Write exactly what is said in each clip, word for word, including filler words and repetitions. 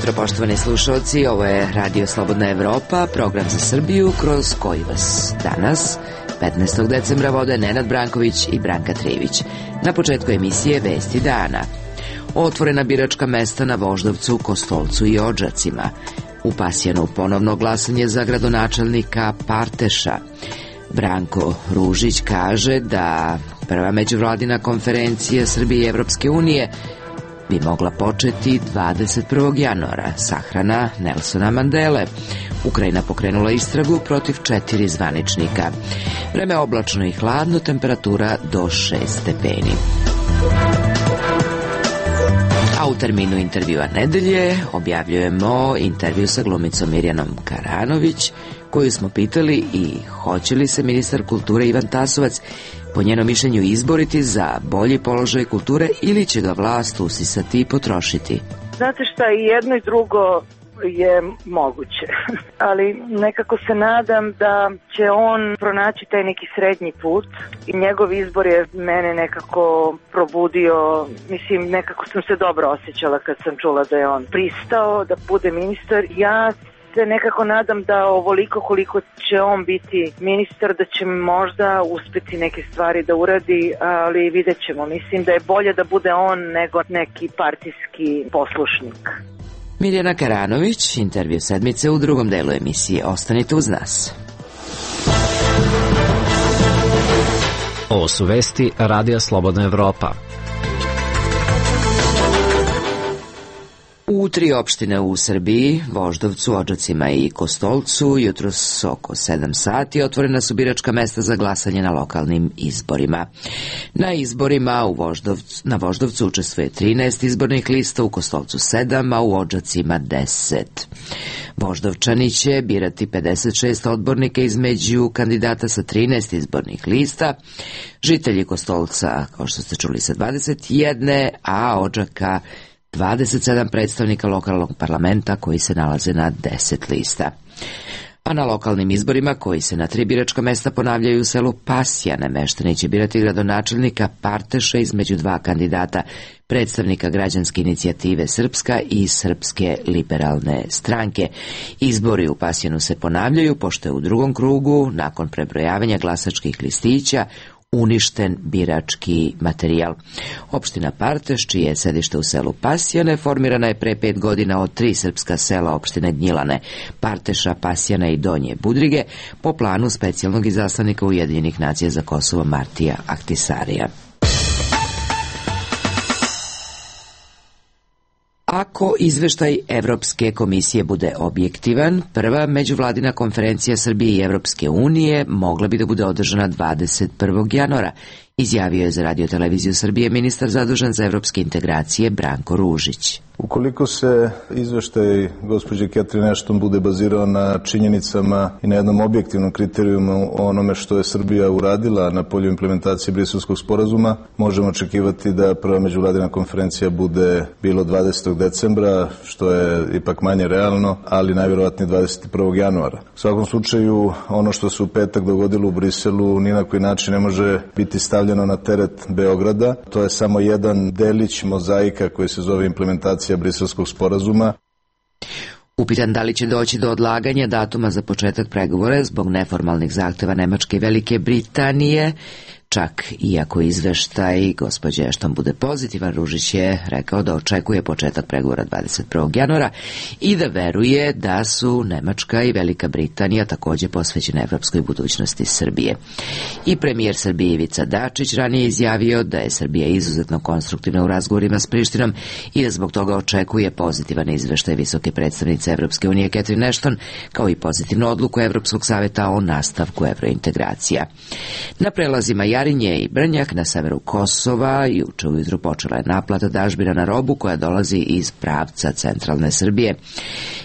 jutro, poštovani slušalci, ovo je Radio Slobodna Evropa, program za Srbiju kroz koji vas danas, petnaestog decembra, vode Nenad Branković i Branka Trivić. Na početku emisije Vesti dana. Otvorena biračka mesta na Voždovcu, Kostolcu i Odžacima. U Pasjanu ponovno glasanje za gradonačelnika Parteša. Branko Ružić kaže da prva međuvladina konferencija Srbije i Evropske unije bi mogla početi dvadeset prvog januara. Sahrana Nelsona Mandele. Ukrajina pokrenula istragu protiv četiri zvaničnika. Vreme oblačno i hladno, temperatura do šest stepeni. A u terminu intervjua nedelje objavljujemo intervju sa glumicom Mirjanom Karanović, koju smo pitali i hoće li se ministar kulture Ivan Tasovac po njenom mišljenju izboriti za bolji položaj kulture ili će ga vlast usisati i potrošiti. Znate šta, i jedno i drugo je moguće, ali nekako se nadam da će on pronaći taj neki srednji put i njegov izbor je mene nekako probudio, mislim nekako sam se dobro osjećala kad sam čula da je on pristao da bude ministar. Ja se nekako nadam da ovoliko koliko će on biti ministar, da će možda uspeti neke stvari da uradi, ali vidjet ćemo. Mislim da je bolje da bude on nego neki partijski poslušnik. Mirjana Karanović, intervju sedmice u drugom delu emisije. Ostanite uz nas. Ovo su vesti Radija Slobodna Evropa. U tri opštine u Srbiji, Voždovcu, Odžacima i Kostolcu, jutros oko sedam sati otvorena su biračka mesta za glasanje na lokalnim izborima. Na izborima u Voždovcu, na Voždovcu učestvuje trinaest izbornih lista, u Kostolcu sedam, a u Odžacima deset. Voždovčani će birati pedeset šest odbornika između kandidata sa trinaest izbornih lista, žitelji Kostolca, kao što ste čuli, sa dvadeset jedan, a Odžaka dvadeset sedam predstavnika lokalnog parlamenta koji se nalaze na deset lista. A na lokalnim izborima, koji se na tri biračka mesta ponavljaju u selu Pasjane, meštani će birati gradonačelnika Parteša između dva kandidata, predstavnika građanske inicijative Srpska i Srpske liberalne stranke. Izbori u Pasjanu se ponavljaju, pošto je u drugom krugu, nakon prebrojavanja glasačkih listića, uništen birački materijal. Opština Parteš, čije je sedište u selu Pasjane, formirana je pre pet godina od tri srpska sela opštine Gnjilane, Parteša, Pasjana i Donje Budrige, po planu specijalnog izaslanika Ujedinjenih nacija za Kosovo Martija Ahtisarija. Ako izveštaj Evropske komisije bude objektivan, prva međuvladina konferencija Srbije i Evropske unije mogla bi da bude održana dvadeset prvog januara, izjavio je za Radio televiziju Srbije ministar zadužen za evropske integracije Branko Ružić. Ukoliko se izveštaj gospođe Catherine Ashton bude bazirao na činjenicama i na jednom objektivnom kriterijumu o onome što je Srbija uradila na polju implementacije Briselskog sporazuma, možemo očekivati da prva međuvladina konferencija bude bilo dvadesetog decembra, što je ipak manje realno, ali najvjerovatnije dvadeset prvog januara. U svakom slučaju, ono što se u petak dogodilo u Briselu ni na koji način ne može biti stavljeno na teret Beograda. To je samo jedan delić mozaika koji se zove implementacija Briselskog sporazuma. Upitan da li će doći do odlaganja datuma za početak pregovora zbog neformalnih zahteva Nemačke i Velike Britanije, čak iako izveštaj gospođe Ashton bude pozitivan, Ružić je rekao da očekuje početak pregovora dvadeset prvog januara i da veruje da su Nemačka i Velika Britanija takođe posvećene evropskoj budućnosti Srbije. I premijer Srbije Ivica Dačić ranije izjavio da je Srbija izuzetno konstruktivna u razgovorima s Prištinom i da zbog toga očekuje pozitivan izveštaj visoke predstavnice Evropske unije Catherine Ashton, kao i pozitivnu odluku Evropskog saveta o nastavku evrointegracija. Na prelazima Jarinje i Brnjak na severu Kosova juče ujutru počela je naplata dažbina na robu koja dolazi iz pravca centralne Srbije.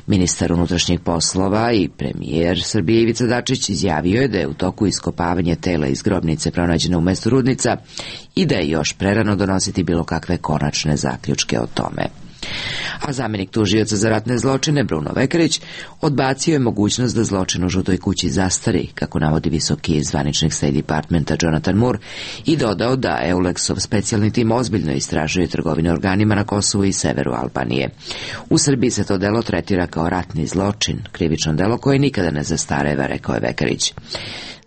Ministar unutrašnjih poslova i premijer Srbije Ivica Dačić izjavio je da je u toku iskopavanja tela iz grobnice pronađeno u mestu Rudnica i da je još prerano donositi bilo kakve konačne zaključke o tome. A zamjenik tužioca za ratne zločine Bruno Vekarić odbacio je mogućnost da zločin u Žutoj kući zastari, kako navodi visoki zvaničnik State Departmenta Jonathan Moore, i dodao da EULEX-ov specijalni tim ozbiljno istražuje trgovine organima na Kosovu i severu Albanije. U Srbiji se to delo tretira kao ratni zločin, krivično delo koje nikada ne zastareva, rekao je Vekarić.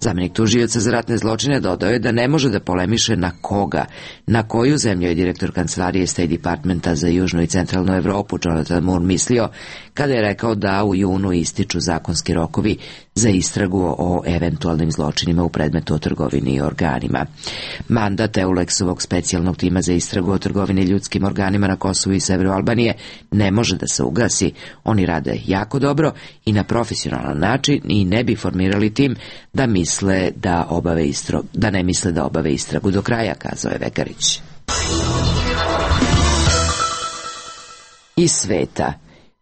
Zamjenik tužioca za ratne zločine dodao je da ne može da polemiše na koga, na koju zemlju je direktor kancelarije State Departmenta za južnu i centralnu Evropu Jonathan Moore mislio kada je rekao da u junu ističu zakonski rokovi za istragu o eventualnim zločinima u predmetu o trgovini i organima. Mandat EULEX-ovog specijalnog tima za istragu o trgovini ljudskim organima na Kosovu i severu Albanije ne može da se ugasi. Oni rade jako dobro i na profesionalan način i ne bi formirali tim da misle da obave istragu, da ne misle da obave istragu do kraja, kazao je Vekarić. Iz sveta.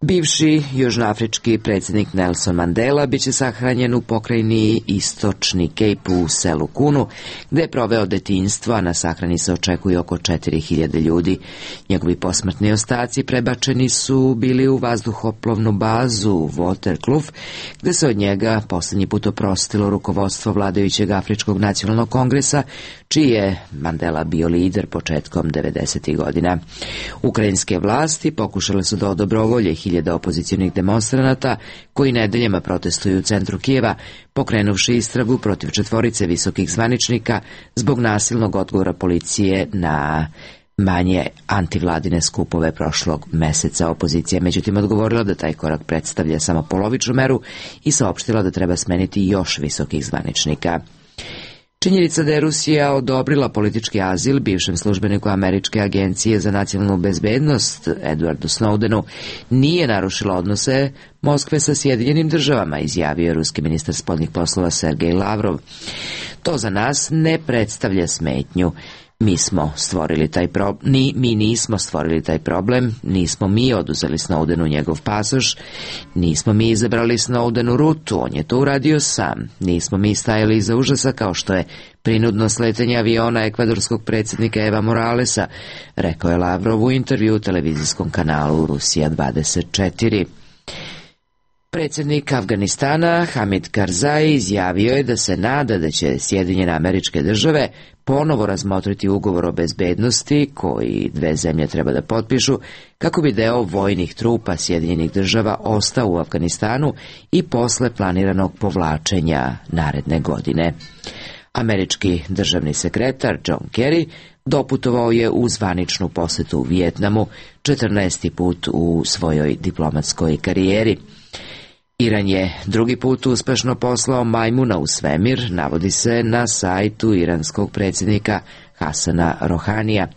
Bivši južnoafrički predsjednik Nelson Mandela biće sahranjen u pokrajini Istočni Kejp u selu Kunu, gde je proveo detinjstvo, a na sahrani se očekuje oko četiri hiljade ljudi. Njegovi posmrtni ostaci prebačeni su bili u vazduhoplovnu bazu Waterkloof, gde se od njega poslednji put oprostilo rukovodstvo vladajućeg Afričkog nacionalnog kongresa, čiji je Mandela bio lider početkom devedesetih godina. Ukrajinske vlasti pokušale su da odobrovolje hiljada opozicionih demonstranata koji nedeljama protestuju u centru Kijeva, pokrenuvši istragu protiv četvorice visokih zvaničnika zbog nasilnog odgovora policije na manje antivladine skupove prošlog meseca. Opozicija međutim odgovorila da taj korak predstavlja samo polovičnu meru i saopštila da treba smeniti još visokih zvaničnika. Činjenica da je Rusija odobrila politički azil bivšem službeniku Američke agencije za nacionalnu bezbednost Edwardu Snowdenu nije narušila odnose Moskve sa Sjedinjenim državama, izjavio je ruski ministar spoljnih poslova Sergej Lavrov. To za nas ne predstavlja smetnju. Mi smo stvorili taj problem, ni, mi nismo stvorili taj problem, nismo mi oduzeli Snowdenu njegov pasoš, nismo mi izabrali Snowdenu rutu, on je to uradio sam, nismo mi stajali iza užasa kao što je prinudno sletanje aviona ekvadorskog predsjednika Eva Moralesa, rekao je Lavrov u intervju u televizijskom kanalu Rusija dvadeset četiri. Predsjednik Afganistana Hamid Karzai izjavio je da se nada da će Sjedinjene Američke Države ponovo razmotriti ugovor o bezbednosti koji dve zemlje treba da potpišu kako bi deo vojnih trupa Sjedinjenih Država ostao u Afganistanu i posle planiranog povlačenja naredne godine. Američki državni sekretar John Kerry doputovao je u zvaničnu posetu u Vijetnamu četrnaesti put u svojoj diplomatskoj karijeri. Iran je drugi put uspešno poslao majmuna u svemir, navodi se na sajtu iranskog predsjednika Hasana Rohanija.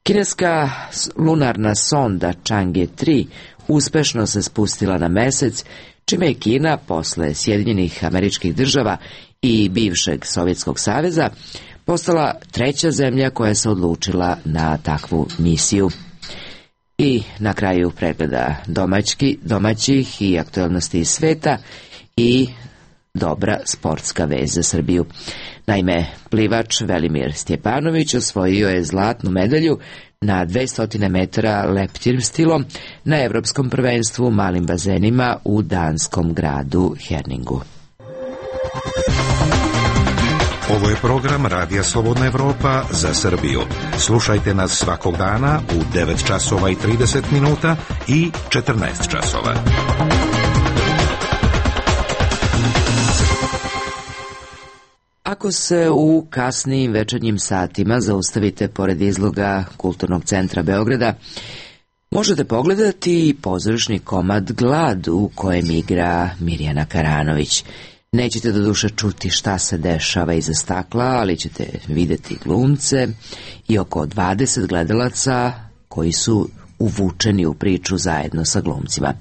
Kineska lunarna sonda Chang'e tri uspešno se spustila na mesec, čime je Kina posle Sjedinjenih Američkih Država i bivšeg Sovjetskog saveza postala treća zemlja koja se odlučila na takvu misiju. I na kraju pregleda domaćki, domaćih i aktualnosti iz sveta i dobra sportska vez za Srbiju. Naime, plivač Velimir Stjepanović osvojio je zlatnu medalju na dvesta metara leptir stilom na Evropskom prvenstvu u malim bazenima u danskom gradu Herningu. Ovo je program Radija Slobodna Evropa za Srbiju. Slušajte nas svakog dana u devet časova i trideset minuta i četrnaest časova. Ako se u kasnijim večernjim satima zaustavite pored izloga Kulturnog centra Beograda, možete pogledati pozorišni komad Glad u kojem igra Mirjana Karanović. Nećete do duše čuti šta se dešava iza stakla, ali ćete videti glumce i oko dvadeset gledalaca koji su uvučeni u priču zajedno sa glumcima,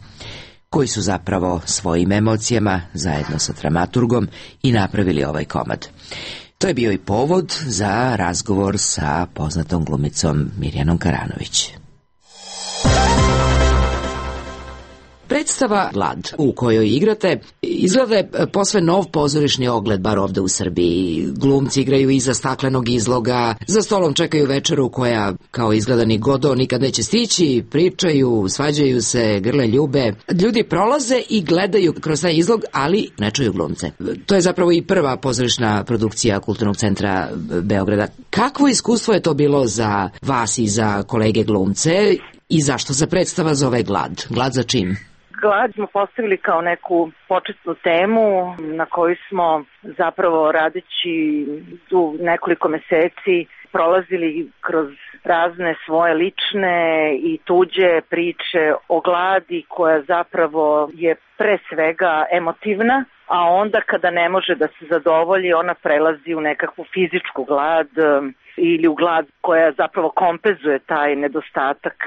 koji su zapravo svojim emocijama zajedno sa dramaturgom i napravili ovaj komad. To je bio i povod za razgovor sa poznatom glumicom Mirjanom Karanović. Predstava Glad u kojoj igrate izgleda je posve nov pozorišni ogled, bar ovde u Srbiji. Glumci igraju iza staklenog izloga, za stolom čekaju večeru koja, kao izgledani Godo, nikad neće stići, pričaju, svađaju se, grle ljube. Ljudi prolaze i gledaju kroz taj izlog, ali ne čuju glumce. To je zapravo i prva pozorišna produkcija Kulturnog centra Beograda. Kakvo iskustvo je to bilo za vas i za kolege glumce i zašto se predstava zove Glad? Glad za čim? Glad smo postavili kao neku početnu temu na koju smo zapravo radeći u nekoliko meseci prolazili kroz razne svoje lične i tuđe priče o gladi koja zapravo je pre svega emotivna, a onda kada ne može da se zadovolji ona prelazi u nekakvu fizičku glad ili u glad koja zapravo kompenzuje taj nedostatak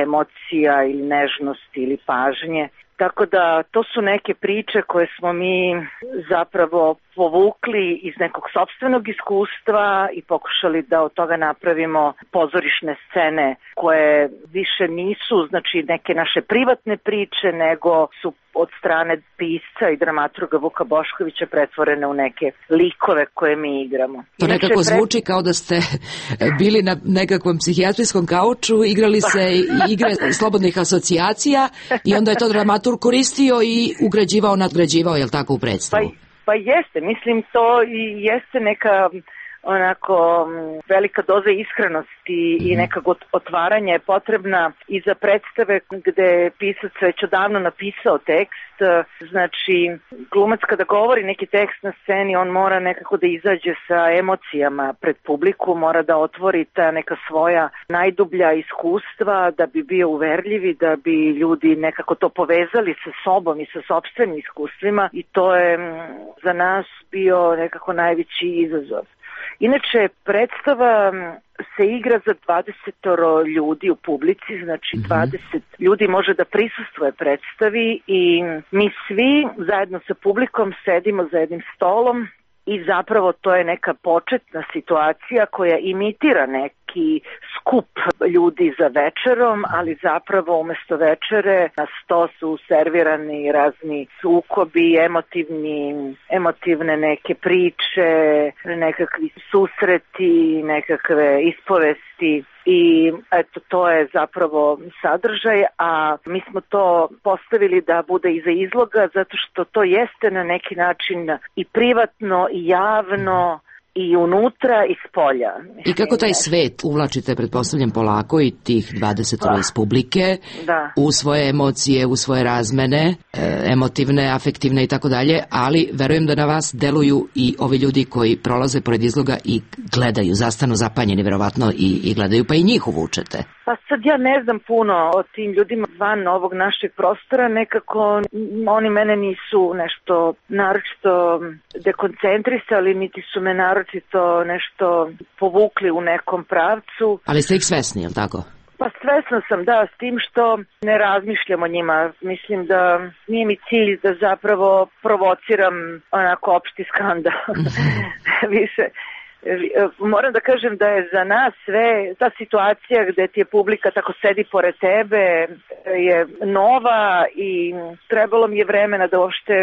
emocija ili nežnosti ili pažnje. Tako da to su neke priče koje smo mi zapravo povukli iz nekog sopstvenog iskustva i pokušali da od toga napravimo pozorišne scene koje više nisu znači neke naše privatne priče, nego su od strane pisca i dramaturga Vuka Boškovića pretvorene u neke likove koje mi igramo. To nekako zvuči kao da ste bili na nekakvom psihijatrijskom kauču, igrali se igre slobodnih asocijacija i onda je to dramaturg koristio i ugrađivao, nadgrađivao, je li tako, u predstavu? Pa, pa jeste, mislim to i jeste neka onako velika doza iskrenosti mm-hmm. i nekako otvaranja je potrebna i za predstave gde je pisac već odavno napisao tekst. Znači, glumac kada govori neki tekst na sceni, on mora nekako da izađe sa emocijama pred publiku, mora da otvori ta neka svoja najdublja iskustva da bi bio uverljivi, da bi ljudi nekako to povezali sa sobom i sa sopstvenim iskustvima, i to je za nas bio nekako najveći izazov. Inače, predstava se igra za dvadeset ljudi u publici, znači dvadeset ljudi može da prisustvuje predstavi i mi svi zajedno sa publikom sedimo za jednim stolom i zapravo to je neka početna situacija koja imitira neki skup ljudi za večerom, ali zapravo umesto večere na sto su servirani razni sukobi, emotivni, emotivne neke priče, nekakvi susreti, nekakve ispovesti. I eto, to je zapravo sadržaj, a mi smo to postavili da bude iza izloga zato što to jeste na neki način i privatno i javno i unutra i spolja. I kako taj svet uvlačite, pretpostavljam, polako i tih dvadeset iz publike da. u svoje emocije, u svoje razmene, emotivne, afektivne i tako dalje, ali verujem da na vas deluju i ovi ljudi koji prolaze pored izloga i gledaju, zastanu zapanjeni verovatno i, i gledaju, pa i njih uvučete. Pa sad ja ne znam puno o tim ljudima van ovog našeg prostora, nekako oni mene nisu nešto naročito dekoncentrisali, niti su me naročito nešto povukli u nekom pravcu. Ali ste ih svesni, je li tako? Pa svesna sam, da, s tim što ne razmišljam o njima. Mislim da nije mi cilj da zapravo provociram onako opšti skandal. Više. Moram da kažem da je za nas sve ta situacija gde ti je publika tako sedi pored tebe je nova i trebalo mi je vremena da uopšte,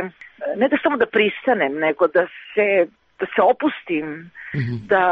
ne da samo da pristanem, nego da se, da se opustim, mm-hmm. da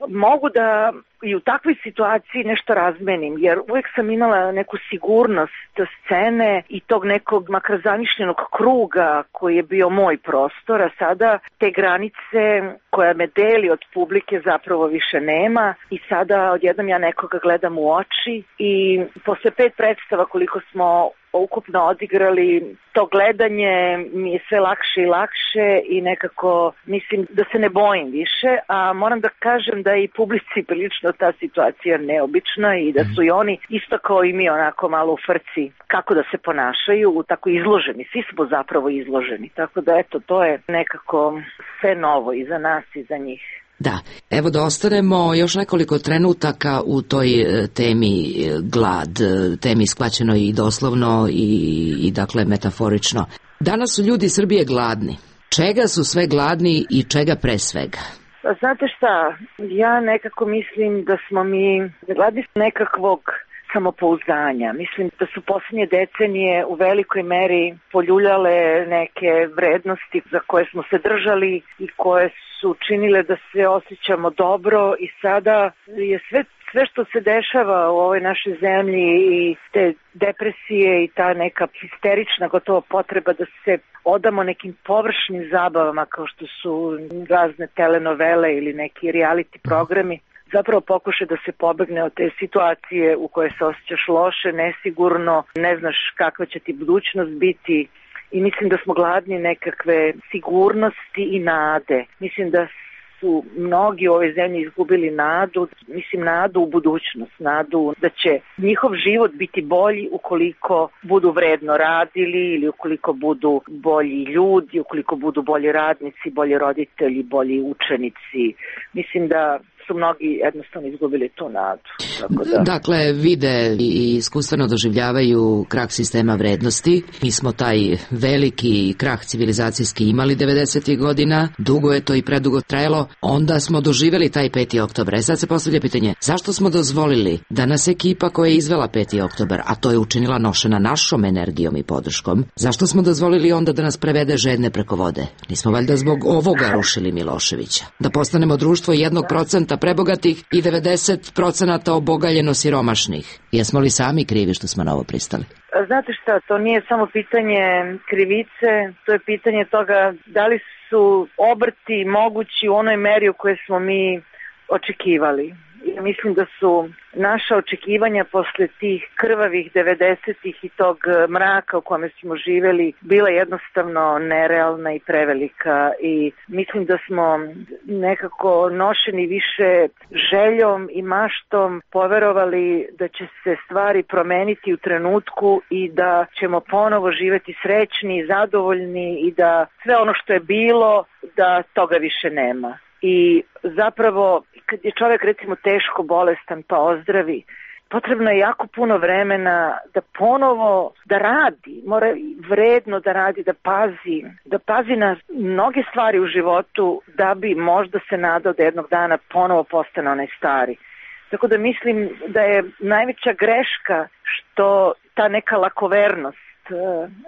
mogu da i u takvoj situaciji nešto razmenim, jer uvek sam imala neku sigurnost scene i tog nekog makar zamišljenog kruga koji je bio moj prostor, a sada te granice koja me deli od publike zapravo više nema i sada odjednom ja nekoga gledam u oči i posle pet predstava koliko smo ukupno odigrali, to gledanje mi je sve lakše i lakše i nekako mislim da se ne bojim više, a moram da kažem da je i publici prilično ta situacija neobična i da su i oni isto kao i mi onako malo u frci kako da se ponašaju, tako izloženi, svi smo zapravo izloženi, tako da eto, to je nekako sve novo i za nas i za njih. Da, evo da ostanemo još nekoliko trenutaka u toj temi glad, temi shvaćeno i doslovno i, i dakle metaforično. Danas su ljudi Srbije gladni. Čega su sve gladni i čega pre svega? Znate šta, ja nekako mislim da smo mi gladni nekakvog samopouzdanja. Mislim da su posljednje decenije u velikoj meri poljuljale neke vrednosti za koje smo se držali i koje su činile da se osjećamo dobro i sada je sve Sve što se dešava u ovoj našoj zemlji i te depresije i ta neka histerična gotovo potreba da se odamo nekim površnim zabavama kao što su razne telenovele ili neki reality programi, zapravo pokuša da se pobegne od te situacije u kojoj se osjećaš loše, nesigurno, ne znaš kakva će ti budućnost biti i mislim da smo gladni nekakve sigurnosti i nade. Mislim da su mnogi u ovoj zemlji izgubili nadu, mislim nadu u budućnost, nadu da će njihov život biti bolji ukoliko budu vredno radili ili ukoliko budu bolji ljudi, ukoliko budu bolji radnici, bolji roditelji, bolji učenici. Mislim da su mnogi jednostavno izgubili tu nadu. Tako da... Dakle, vide i iskustveno doživljavaju krah sistema vrednosti. Mi smo taj veliki krah civilizacijski imali devedesetih godina, dugo je to i predugo trajalo, onda smo doživjeli taj peti oktobar. E sad se postavlja pitanje, zašto smo dozvolili da nas ekipa koja je izvela peti oktobar, a to je učinila nošena našom energijom i podrškom, zašto smo dozvolili onda da nas prevede žedne preko vode? Nismo valjda zbog ovoga rušili Miloševića? Da postanemo društvo jednog procenta prebogatih i devedeset procenata obogaljeno siromašnih. Jesmo li sami krivi što smo na ovo pristali? Znate šta, to nije samo pitanje krivice, to je pitanje toga da li su obrti mogući u onoj meri u kojoj smo mi očekivali. Ja mislim da su naša očekivanja posle tih krvavih devedesetih i tog mraka u kome smo živeli bila jednostavno nerealna i prevelika i mislim da smo nekako nošeni više željom i maštom poverovali da će se stvari promeniti u trenutku i da ćemo ponovo živeti srećni i zadovoljni i da sve ono što je bilo, da toga više nema. I zapravo, kad je čovjek recimo teško bolestan pa ozdravi, potrebno je jako puno vremena da ponovo da radi, mora vredno da radi, da pazi, da pazi na mnoge stvari u životu da bi možda se nadao da jednog dana ponovo postane onaj stari. Tako da mislim da je najveća greška što ta neka lakovernost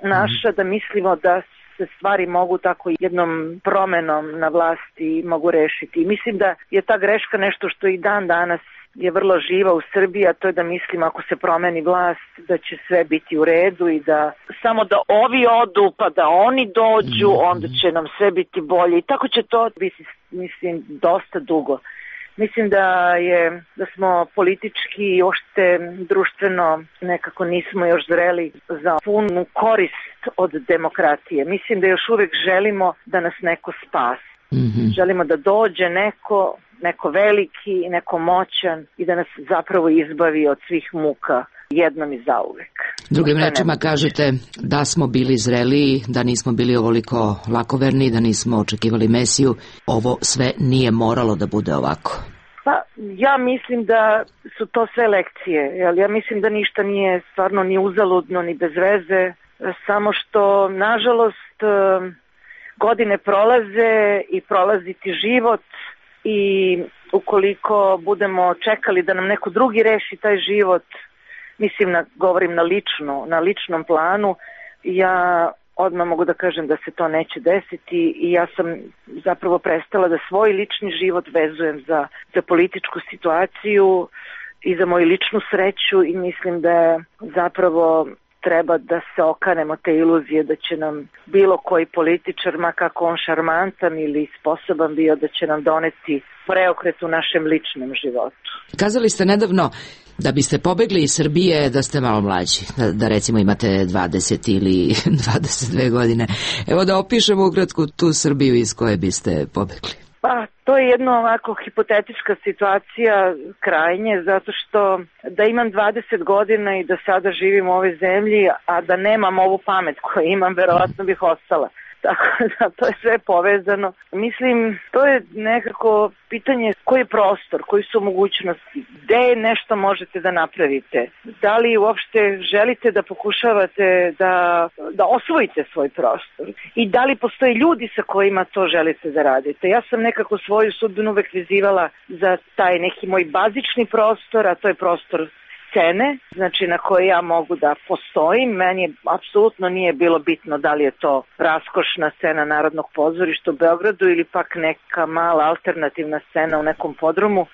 naša, da mislimo da se stvari mogu tako jednom promenom na vlasti mogu rešiti. I mislim da je ta greška nešto što i dan danas je vrlo živa u Srbiji, a to je da mislim ako se promeni vlast da će sve biti u redu i da samo da ovi odu pa da oni dođu, onda će nam sve biti bolje. I tako će to biti, mislim, dosta dugo. Mislim da je da smo politički i ošte društveno nekako nismo još zreli za punu korist od demokratije. Mislim da još uvek želimo da nas neko spasi. Mm-hmm. Želimo da dođe neko, neko veliki, neko moćan i da nas zapravo izbavi od svih muka jednom i zauvek. Drugim rečima kažete da smo bili zreliji, da nismo bili ovoliko lakoverni, da nismo očekivali Mesiju. Ovo sve nije moralo da bude ovako. Pa ja mislim da su to sve lekcije. Jel? Ja mislim da ništa nije stvarno ni uzaludno ni bez veze. Samo što nažalost godine prolaze i prolazi ti život i ukoliko budemo čekali da nam neko drugi reši taj život, mislim, na, govorim na lično, na ličnom planu, ja odmah mogu da kažem da se to neće desiti i ja sam zapravo prestala da svoj lični život vezujem za, za političku situaciju i za moju ličnu sreću i mislim da zapravo treba da se okanemo te iluzije da će nam bilo koji političar, ma kako on šarmantan ili sposoban bio, da će nam doneti preokret u našem ličnom životu. Kazali ste nedavno da biste pobegli iz Srbije da ste malo mlađi, da, da recimo imate dvadeset ili dvadeset dve godine. Evo da opišemo ukratko tu Srbiju iz koje biste pobegli. Pa, to je jedna ovako hipotetička situacija krajnje, zato što da imam dvadeset godina i da sada živim u ovoj zemlji, a da nemam ovu pamet koju imam, verovatno bih ostala. Tako da to je sve povezano. Mislim, to je nekako pitanje koji je prostor, koji su mogućnosti, gde nešto možete da napravite, da li uopšte želite da pokušavate da, da osvojite svoj prostor i da li postoje ljudi sa kojima to želite da radite. Ja sam nekako svoju sudbinu uvek vezivala za taj neki moj bazični prostor, a to je prostor scene, znači na koje ja mogu da postojim. Meni apsolutno nije bilo bitno da li je to raskošna scena Narodnog pozorišta u Beogradu ili pak neka mala alternativna scena u nekom podrumu.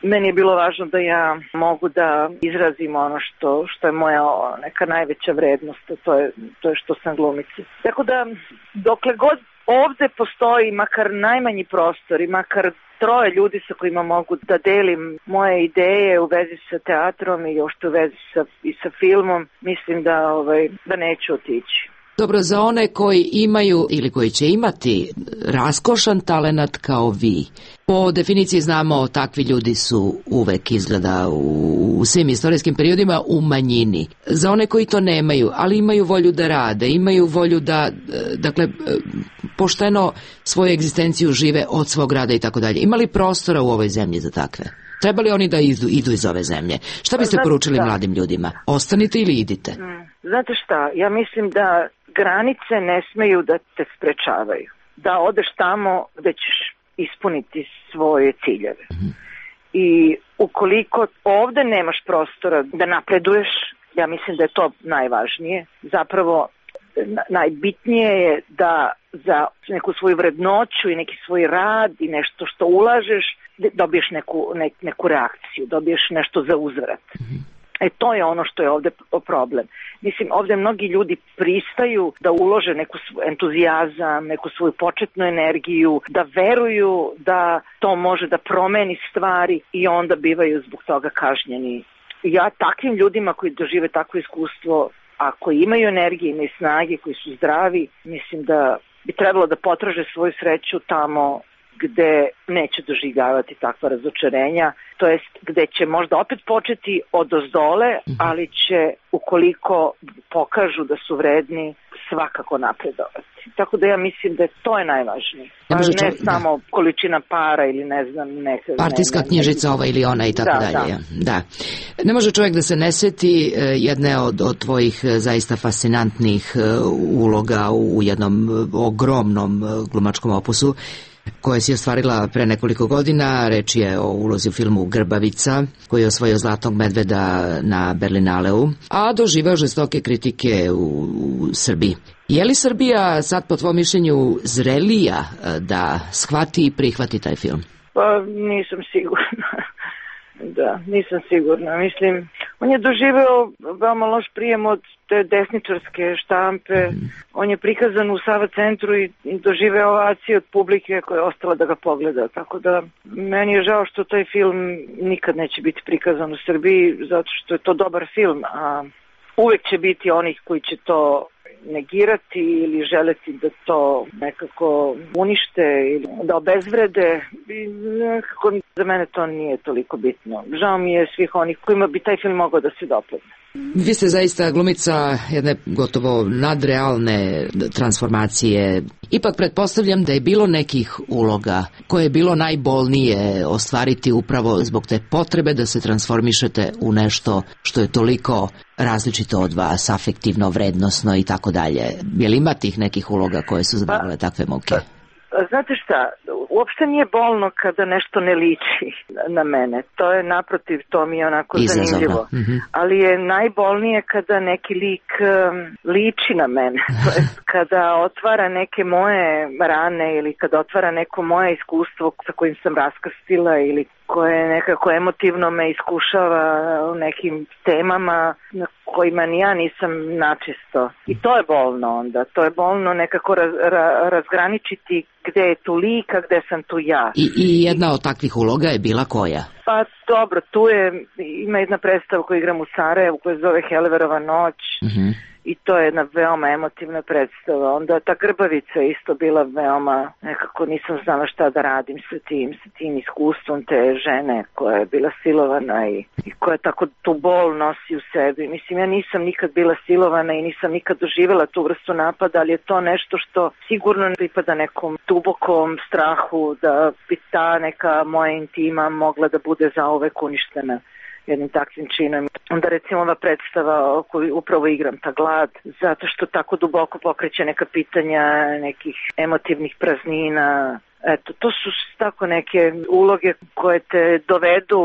Meni je bilo važno da ja mogu da izrazim ono što, što je moja neka najveća vrednost, to je, to je što sam glumica. Tako da, dokle god ovde postoji makar najmanji prostor i makar troje ljudi sa kojima mogu da delim moje ideje u vezi sa teatrom i još u vezi sa, i sa filmom, mislim da, ovaj, da neću otići. Dobro, za one koji imaju ili koji će imati raskošan talenat kao vi, po definiciji znamo takvi ljudi su uvek izgleda u, u svim istorijskim periodima u manjini. Za one koji to nemaju, ali imaju volju da rade, imaju volju da, dakle, pošteno svoju egzistenciju žive od svog rada i tako dalje. Ima li prostora u ovoj zemlji za takve? Treba li oni da idu, idu iz ove zemlje? Šta biste Znate poručili šta? mladim ljudima? Ostanite ili idite? Mm. Znate šta, ja mislim da granice ne smeju da te sprečavaju. Da odeš tamo gde ćeš ispuniti svoje ciljeve. Mm-hmm. I ukoliko ovde nemaš prostora da napreduješ, ja mislim da je to najvažnije. Zapravo najbitnije je da za neku svoju vrednoću i neki svoj rad i nešto što ulažeš dobiješ neku, ne, neku reakciju, dobiješ nešto za uzvrat. Mm-hmm. E to je ono što je ovde problem. Mislim, ovde mnogi ljudi pristaju da ulože neku entuzijazam, neku svoju početnu energiju, da veruju da to može da promeni stvari i onda bivaju zbog toga kažnjeni. Ja takvim ljudima koji dožive takvo iskustvo, a koji imaju energije i snage, koji su zdravi, mislim da bi trebalo da potraže svoju sreću tamo gde neće doživljavati takva razočarenja, to jest gde će možda opet početi od ozdole, ali će, ukoliko pokažu da su vredni, svakako napredovati. Tako da ja mislim da to je najvažnije. Ne, ne čovjek, samo da. količina para ili ne znam neka... Partijska ne, ne, knjižica ova ili ona i tako da, dalje. Da. da. Ne može čovjek da se ne seti jedne od, od tvojih zaista fascinantnih uloga u jednom ogromnom glumačkom opusu koje si ostvarila pre nekoliko godina. Reč je o ulozi u filmu Grbavica, koji je osvojio Zlatnog medveda na Berlinaleu, a doživeo žestoke kritike u, u Srbiji. Je li Srbija sad, po tvojom mišljenju, zrelija da shvati i prihvati taj film? Pa nisam sigurna. Da, nisam sigurna. Mislim, on je doživeo veoma loš prijem od te desničarske štampe. Mm. On je prikazan u Sava centru i doživeo ovaciju od publike koja je ostala da ga pogleda. Tako da, meni je žao što taj film nikad neće biti prikazan u Srbiji, zato što je to dobar film, a uvek će biti onih koji će to negirati ili želeti da to nekako unište ili da obezvrede. I nekako za mene to nije toliko bitno. Žao mi je svih onih kojima bi taj film mogao da se dopadne. Vi ste zaista glumica jedne gotovo nadrealne transformacije. Ipak pretpostavljam da je bilo nekih uloga koje je bilo najbolnije ostvariti upravo zbog te potrebe da se transformišete u nešto što je toliko različito od vas, afektivno, vrednosno i tako dalje. Je li ima tih nekih uloga koje su zadavale takve muke? Znate šta, uopšte nije bolno kada nešto ne liči na mene. To je naprotiv, to mi je onako Izazovno. zanimljivo. Mm-hmm. Ali je najbolnije kada neki lik um, liči na mene. To je kada otvara neke moje rane ili kada otvara neko moje iskustvo sa kojim sam raskrstila ili koje nekako emotivno me iskušava u nekim temama na kojima ni ja nisam načisto. I to je bolno onda. To je bolno nekako raz, ra, razgraničiti gde je tu lik, a gde sam tu ja. I, I jedna od takvih uloga je bila koja? Pa dobro, tu je, ima jedna predstava koju igram u Sarajevu koja se zove Heliverova noć. Mm-hmm. I to je jedna veoma emotivna predstava. Onda ta Grbavica je isto bila veoma, nekako nisam znala šta da radim sa tim, sa tim iskustvom te žene koja je bila silovana i, i koja tako tu bol nosi u sebi. Mislim, ja nisam nikad bila silovana i nisam nikad doživjela tu vrstu napada, ali je to nešto što sigurno pripada nekom dubokom strahu da bi ta neka moja intima mogla da bude zauvek uništena jednim takvim činom. Onda recimo ova predstava o kojoj upravo igram, ta glad, zato što tako duboko pokreće neka pitanja nekih emotivnih praznina, Eto, to su tako neke uloge koje te dovedu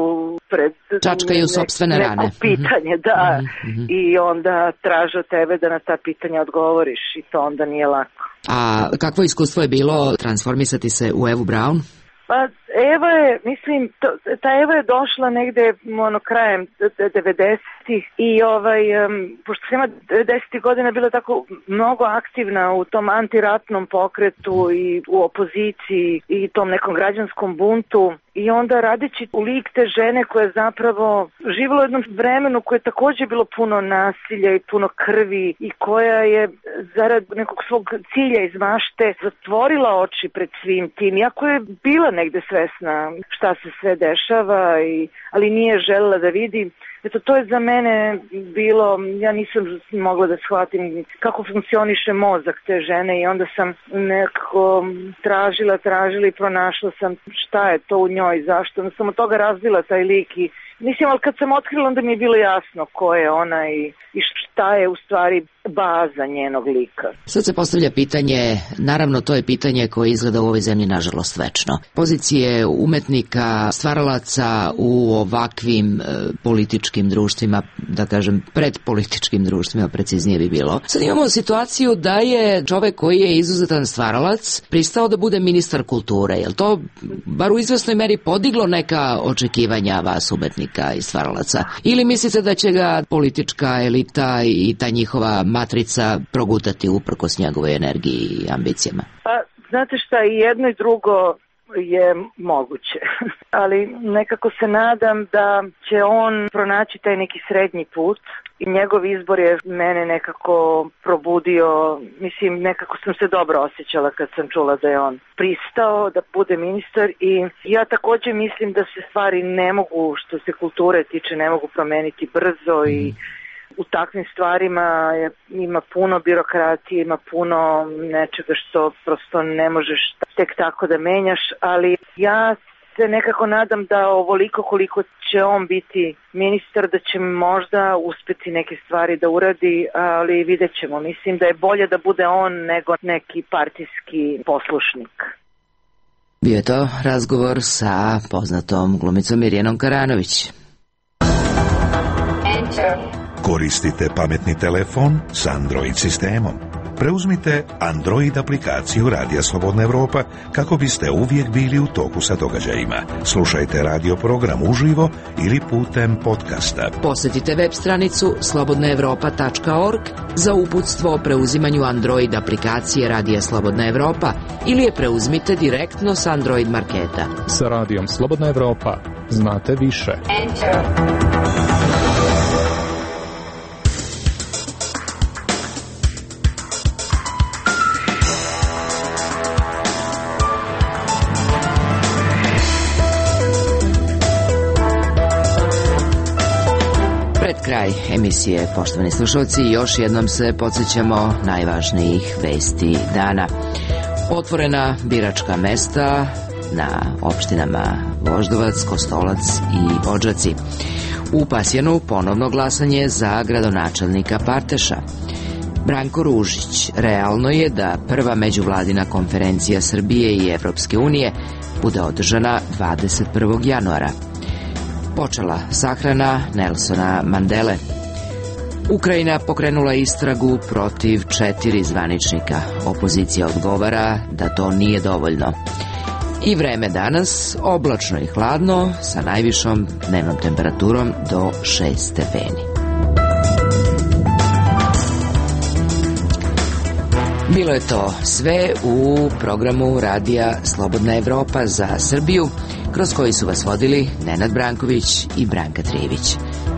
pred čačkaju ne, sopstvene neko rane. pitanje, da, mm-hmm. i onda traže od tebe da na ta pitanja odgovoriš i to onda nije lako. A kakvo iskustvo je bilo transformisati se u Evu Braun? Pa Eva je, mislim, to, ta Eva je došla negde ono, krajem devedesetih i ovaj, um, pošto sam ima devedesetih godina bila tako mnogo aktivna u tom antiratnom pokretu i u opoziciji i tom nekom građanskom buntu i onda radeći u lik te žene koja je zapravo živjela u jednom vremenu koje je također bilo puno nasilja i puno krvi i koja je zarad nekog svog cilja iz mašte zatvorila oči pred svim tim, iako je bila negde svesna šta se sve dešava, i, ali nije želela da vidi. Eto, to je za mene bilo, ja nisam mogla da shvatim kako funkcioniše mozak te žene i onda sam nekako tražila, tražila i pronašla sam šta je to u njoj, zašto. Onda sam od toga razvila taj lik i mislim, ali kad sam otkrila onda mi je bilo jasno ko je ona i, i šta je u stvari baza njenog lika. Sad se postavlja pitanje, naravno to je pitanje koje izgleda u ovoj zemlji nažalost večno. Pozicije umetnika, stvaralaca u ovakvim e, političkim društvima, da kažem predpolitičkim društvima, preciznije bi bilo. Sad imamo situaciju da je čovek koji je izuzetan stvaralac pristao da bude ministar kulture. Je li to bar u izvesnoj meri podiglo neka očekivanja vas umetnika i stvaralaca? Ili mislite da će ga politička elita i ta njihova matrica progutati uprkos njegovoj energiji i ambicijama? Pa, znate šta, i jedno i drugo je moguće, ali nekako se nadam da će on pronaći taj neki srednji put i njegov izbor je mene nekako probudio, mislim, nekako sam se dobro osjećala kad sam čula da je on pristao da bude ministar i ja također mislim da se stvari ne mogu, što se kulture tiče, ne mogu promeniti brzo i u takvim stvarima je, ima puno birokratije, ima puno nečega što prosto ne možeš tek tako da menjaš, ali ja se nekako nadam da ovoliko koliko će on biti ministar, da će možda uspeti neke stvari da uradi, ali vidjet ćemo. Mislim da je bolje da bude on nego neki partijski poslušnik. Bio je to razgovor sa poznatom glumicom Mirjanom Karanović. Enter. Koristite pametni telefon s Android sistemom. Preuzmite Android aplikaciju Radija Slobodna Evropa kako biste uvijek bili u toku sa događajima. Slušajte radio program uživo ili putem podcasta. Posjetite web stranicu slobodna evropa tačka org za uputstvo o preuzimanju Android aplikacije Radija Slobodna Evropa ili je preuzmite direktno s Android marketa. Sa Radijom Slobodna Evropa znate više. Enter. Kraj emisije, poštovani slušalci, još jednom se podsjećamo najvažnijih vesti dana. Otvorena biračka mesta na opštinama Voždovac, Kostolac i Odžaci. U Pasjanu ponovno glasanje za gradonačelnika Parteša. Branko Ružić, realno je da prva međuvladina konferencija Srbije i Evropske unije bude održana dvadeset prvog januara. Počela sahrana Nelsona Mandele. Ukrajina pokrenula istragu protiv četiri zvaničnika. Opozicija odgovara da to nije dovoljno. I vreme danas oblačno i hladno sa najvišom dnevnom temperaturom do šest stepeni. Bilo je to sve u programu Radija Slobodna Evropa za Srbiju, kroz koji su vas vodili Nenad Branković i Branka Trijević.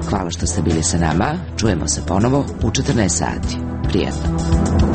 Hvala što ste bili sa nama, čujemo se ponovo u četrnaest sati. Prijatno.